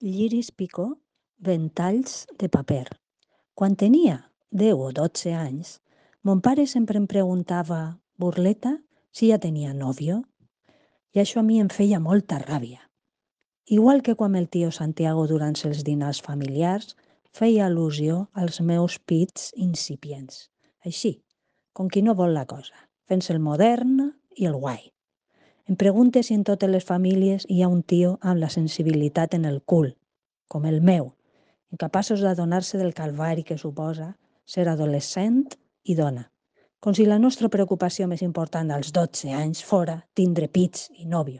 Lliris Picó, ventalls de paper. Quan tenia 10 o 12 anys, mon pare sempre em preguntava, burleta, si ja tenia nòvio. I això a mi em feia molta ràbia. Igual que quan el tio Santiago durant els dinars familiars feia al·lusió als meus pits incipients. Així, com qui no vol la cosa, fent-se el modern i el guai. Em pregunte si en totes les famílies hi ha un tio amb la sensibilitat en el cul, com el meu, incapaços d'adonar-se del calvari que suposa ser adolescent i dona, com si la nostra preocupació més important als 12 anys fora tindre pits i nòvio.